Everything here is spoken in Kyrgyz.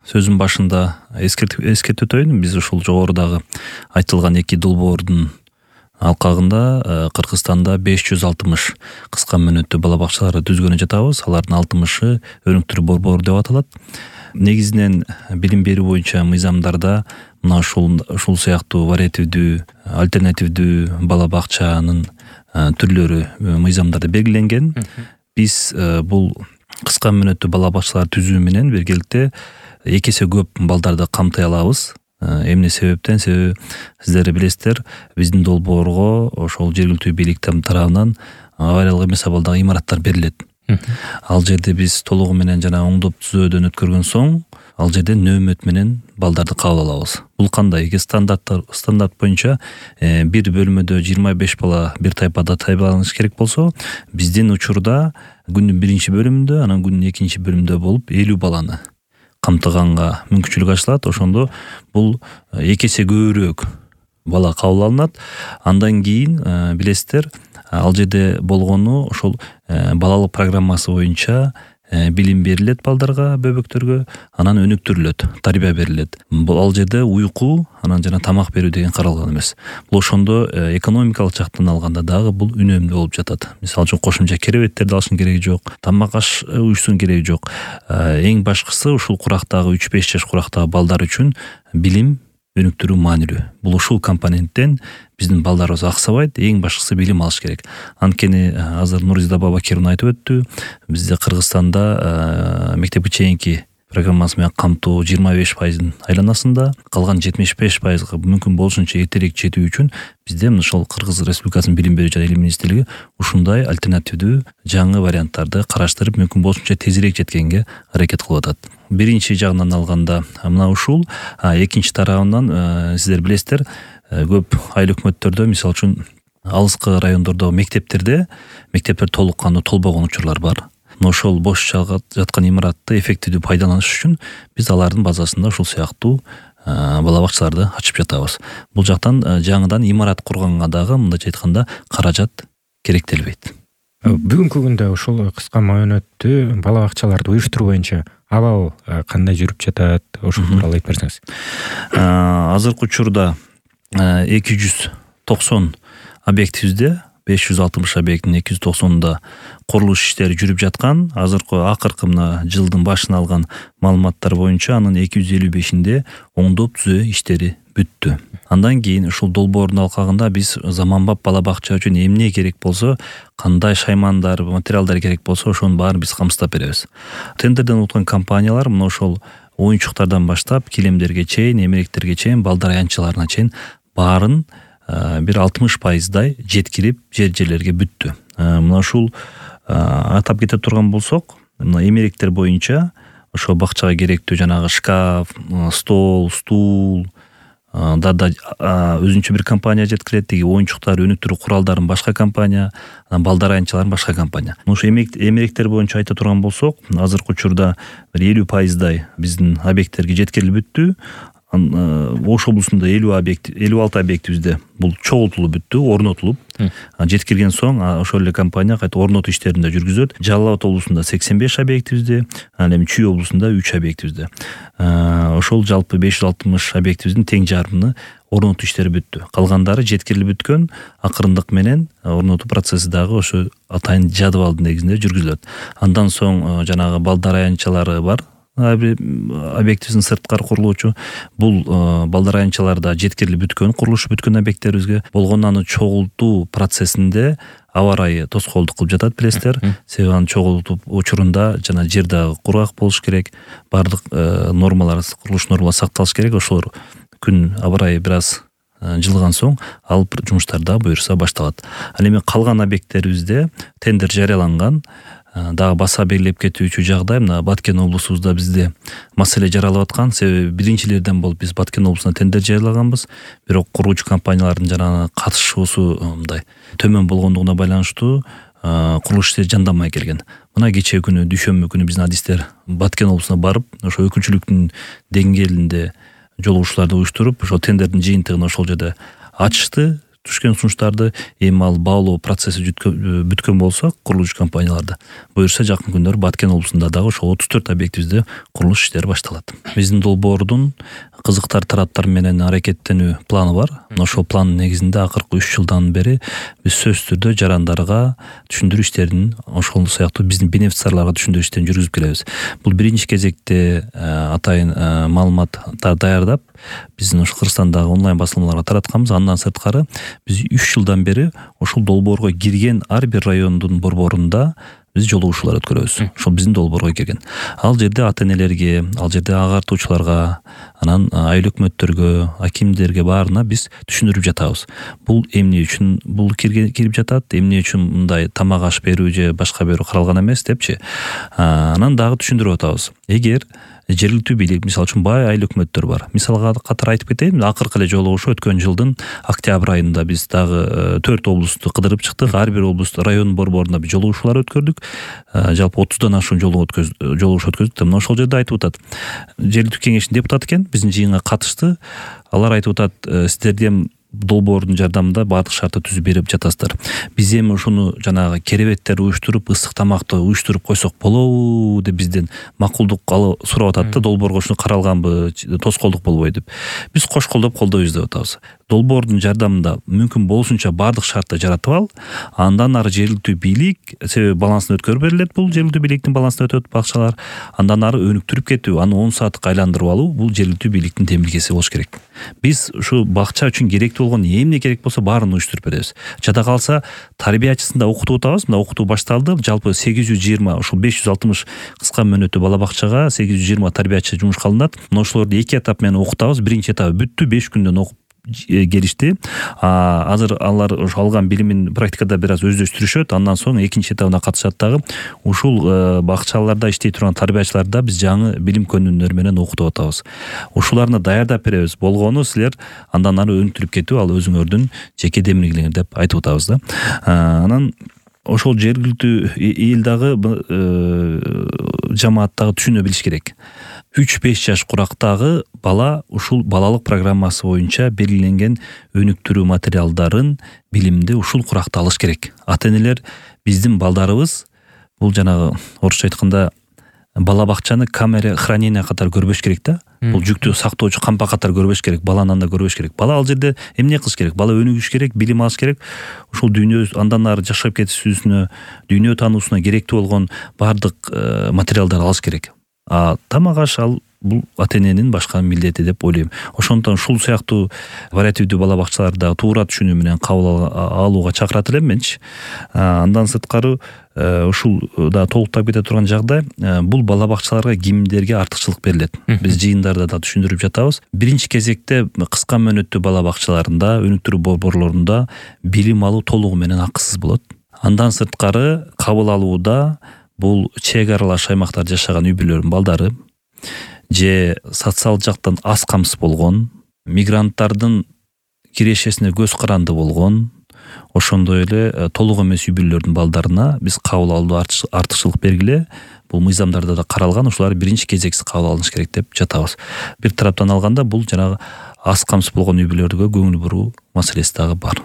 сөзүм башында эскертип өтөйүн. Биз ушул жогорудагы айтылган 2 долбоордун алкагында Кыргызстанда 560 кыска мөөнөттүү бала бакчаларды түзгөнү жатабыз. Алардын 60-ы өнүктүрүү борбору деп аталат. Негизинен билим берүү боюнча мыйзамдарда мына ушул сыяктуу вариативдүү, альтернативдүү бала бакчанын түрлөрү мыйзамдарда белгиленген. Биз бул кыска мөөнөттүү бала бакчаларды түзүү менен биргеликте 2 эсе көп балдарды камтый алабыз. Эмне себептен? Себеби сиздер билесиздер, биздин долбоорго ошол жергиликтүү бийлик тарабынан авариялык эмес абалдагы имараттар берилет. Ал жерде биз толугу менен жана оңдоп түзөөдөн өткөргөн соң, ал жерде нөөмөт менен балдарды кабыл алабыз. Бул кандай? Стандарт боюнча бир бөлмөдө 25 бала бир тайпада тайпаланыш керек болсо, биздин учурда күндүн 1 бөлүмүндө, анан күндүн 2 бөлүмүндө болуп 50 баланы камтыганга мүмкүнчүлүк ачылат. Ошондо бул 2 эсе көбүрөөк бала кабыл алынат. Андан кийин билесиздер, ал жерде болгону ошол балалык программасы боюнча билим берилет балдарга, бөбөктөргө, анан өнүктүрүлөт, тарбия берилет. Бул ал жерде уйку, анан жана тамак берүү деген каралган эмес. Бул ошондо экономикалык жактан алганда дагы бул үнөмдүү болуп жатат. Мисалы үчүн кошумча керебеттерди алыштын кереги жок, тамак аш уюштун кереги жок. Эң башкысы ушул курактагы 3-5 жаш курактагы балдар үчүн билим өнүктүрүү маанилүү. Бул ушул компоненттен биздин балдарыбыз аксабайт, эң башкысы билим алыш керек. Анткени азыр Нурзида Бабакировна айтып өттү, бизде Кыргызстанда мектепке чейинки программасы менен камтуу 25% айланасында, калган 75%га мүмкүн болушунча эртерээк жетүү үчүн бизде ошол Кыргыз Республикасынын билим берүү жана илим министрлиги ушундай альтернативдүү жаңы варианттарды караштырып, мүмкүн болушунча тезирээк жеткенге аракет кылып атат. Биринчи жагынан алганда мына ушул, экинчи тарабынан сиздер билесиздер, көп айыл өкмөттөрдө, мисалы үчүн алыскы райондордогу мектептер толук кандуу толбогон учурлар бар. Ошол бош жаткан имаратты эффективдүү пайдаланыш үчүн биз алардын базасында ушул сыяктуу бала бакчаларды ачып жатабыз. Бул жактан жаңыдан имарат курганга дагы мындайча айтканда каражат керектелбейт. Бүгүнкү күндө ушул кыска мөөнөттүү бала бакчаларды уюштуруу боюнча абал кандай жүрүп жатат? Ошол тууралуу айтып берсеңиз. Азыркы учурда 290 объектибизде, 560 объекттин 290-да курулуш иштери жүрүп жаткан. Азыркы акыркы мына жылдын башына алган маалыматтар боюнча анын 255-инде оңдоп түзөө иштери бүттү. Андан кийин ушул долбоордун алкагында биз заманбап бала бакча үчүн эмне керек болсо, кандай шаймандар, материалдар керек болсо, ошонун баарын биз камсыздап беребиз. Тендерден өткөн компаниялар мына ошол оюнчуктардан баштап, килемдерге чейин, эмеректерге чейин, балдар аянтчаларына чейин баарын бир 60%дай жеткирип жерлерге бүттү. Мына ушул атап кете турган болсок, мына эмеректер боюнча ошо бакчага керектүү жанагы шкаф, стол, стул да өзүнчө бир компания жеткирет, деги оюнчуктар, өнүктүрүү куралдарын башка компания, балдар аянтчаларын башка компания. Ошо эмеректер боюнча айта турган болсок, азыркы учурда бир 50%дай биздин объекттерге жеткирилип бүттү. Ош облусунда 56 объектибизде бул чогултулуп бүттү, орнотулуп. Жеткирген соң ошол эле компания кайта орнотуу иштерин да жүргүзөт. Жалал Абад облусунда 85 объектибизде, анан эми Чүй облусунда 3 объектибизде. Ошол жалпы 560 объектибиздин тең жарымы орнотуу иштери бүттү. Калгандары жеткирилип бүткөн, акырындык менен орнотуу процесси дагы ошо атайын жадыбалдын негизинде жүргүзүлөт. Андан соң жанагы балдар аянтчалары бар. Объектибиздин сырткары курулуучу, бул балдар аянтчаларда жеткирилип бүткөн, курулушу бүткөн объекттерибизге болгон аны чогултуу процессинде аба ырайы тоскоолдук кылып жатат, билесиздер. Себеби аны чогултуу учурунда жана жер дагы кургак болуш керек, баардык нормалар, курулуш нормалары сакталыш керек. Ошолор күн аба ырайы бир аз жылыган соң ал жумуштар да буюрса башталат. Ал эми калган объекттерибизде тендер жарыяланган. Дагы баса белгилеп кетүүчү жагдай, мына Баткен облусубузда бизде маселе жаралып аткан. Себеби биринчилерден болуп биз Баткен облусуна тендер жарыялаганбыз. Бирок кургуучу компаниялардын жана катышуусу мындай төмөн болгондугуна байланыштуу курулуш иштери жандамай келген. Мына кечээ күнү, дүйшөмбү күнү биздин адистер Баткен облусуна барып, ошо өкүнчүлүктүн деңгээлинде жолугушууларды уюштуруп, ошо тендердин жыйынтыгын ошол жерде ачышты. түшкөн сунуштарды эми ал баалоо процесси бүткөн болсо курулуш компанияларда буюрса жакын күндөрү Баткен облусунда дагы ошо 34 объектибизде курулуш иштери башталат. Биздин долбоордун кызыктар тараптар менен аракеттенүү планы бар. Ошол пландын негизинде акыркы 3 жылдан бери биз сөзсүз түрдө жарандарга түшүндүрүү иштерин, ошол сыяктуу биздин бенефициарларга түшүндүрүү иштерин жүргүзүп келебиз. Бул биринчи кезекте атайын маалыматтар даярдап биздин ошо Кыргызстандагы онлайн басылмаларга таратканбыз. Андан сырткары биз 3 жылдан бери ошол долбоорго кирген ар бир райондун борборунда биз жолугушуулар өткөрөбүз. Ошол биздин долбоорго кирген. Ал жерде ата-энелерге, ал жерде агартуучуларга, анан айыл өкмөттөргө, акимдерге баарына биз түшүндүрүп жатабыз. Бул эмне үчүн бул кирип жатат, эмне үчүн мындай тамак аш берүү же башка берүү каралган эмес депчи. Анан дагы түшүндүрүп атабыз. Эгер жергиликтүү бийлик, мисалы үчүн бай айыл өкмөттөр бар. Мисалга катары айтып кетейин, акыркы эле жолугушуу өткөн жылдын октябрь айында биз дагы 4 облусту кыдырып чыктык. Ар бир облуст район борборунда биз жолугушуулар өткөрдүк. Жалпы 30дан ашуун жолугушуу өткөздүк. Мына ошол жерде айтып атат. Жергиликтүү кеңештин депутаты экен, биздин жыйынга катышты. Алар айтып атат, сиздерде долбоордун жардамында баардык шартты түзүп берип жатасыздар. Биз эми ушуну жанагы керебеттер уюштуруп, ысык тамакты уюштуруп койсок болобу деп бизден макулдук сурап атат да, долбоорго ушуну каралганбы, тоскоолдук болбойбу деп. Биз кош колдоп колдойбуз деп атабыз. Долбоордун жардамында мүмкүн болушунча баардык шартты жаратып ал, андан ары жергиликтүү бийлик, себеби балансын өткөрүп берилет, бул жергиликтүү бийликтин балансына өтөт бакчалар, андан ары өнүктүрүп кетүү, аны 10 саатка айландырып алуу, бул жергиликтүү бийликтин демилгеси болуш керек. Биз ушу бакча үчүн керектүү болгон эмне керек болсо баарын уюштуруп беребиз. Жада калса тарбиячысын да окутуп атабыз. Мына окутуу башталды. Жалпы 820, ушул 560 кыска мөөнөттүү бала бакчага 820 тарбиячы жумушка алынат. Мына ошолорду 2 этап менен окутабыз. Биринчи этабы бүттү, 5 күндөн окуп келишти. Азыр алар ошо алган билимин практикада бир аз өздөштүрүшөт. Андан соң экинчи этабына катышат дагы. Ушул бакчаларда иштей турган тарбиячыларда биз жаңы билим көнүмдөр менен окутуп атабыз. Ушуларны даярдап беребиз. Болгону силер андан ары өнүктүрүп кетүү, ал өзүңөрдүн жеке демилгелериңер деп айтып атабыз да. Анан ошол жергиликтүү эл дагы жамаат дагы түшүнө билиш керек. 3-5 жаш курактагы бала ушул балалык программасы боюнча белгиленген өнүктүрүү материалдарын, билимди ушул куракта алыш керек. Ата-энелер биздин балдарыбыз бул жанагы орусча айтканда бала бакчаны камера хранения катары көрбөш керек да. Бул жүктү сактоочу кампа катары көрбөш керек, баланы анда көрбөш керек. Бала ал жерде эмне кылыш керек? Бала өнүгүш керек, билим алыш керек. Ушул дүйнө андан ары жашап кетүүсүнө, дүйнө таануусуна керектүү болгон баардык материалдар алыш керек. Тамак аш ал бул ата-эненин башка милдети деп ойлойм. Ошондон ушул сыяктуу вариативдүү бала бакчаларда туура түшүнүү менен кабыл алууга чакырат элем менчи. Андан сырткары ушул да толуктап кете турган жагдай, бул бала бакчаларга кимдерге артыкчылык берилет. Биз жыйындарда да түшүндүрүп жатабыз. Биринчи кезекте кыска мөөнөттүү бала бакчаларында, өнүктүрүү борборлорунда билим алуу толугу менен акысыз болот. Андан сырткары кабыл алууда бул чек аралаш аймактарда жашаган үй-бүлөлөрдүн балдары же социалдык жактан аз камсыз болгон, мигранттардын кирешесине көз каранды болгон, ошондой эле толук эмес үй-бүлөлөрдүн балдарына биз кабыл алууда артыкчылык бергиле. Бул мыйзамдарда да каралган, ушулар биринчи кезексиз кабыл алыныш керек деп жатабыз. Бир тараптан алганда бул жанагы аз камсыз болгон үй-бүлөлөргө көңүл буруу маселеси дагы бар.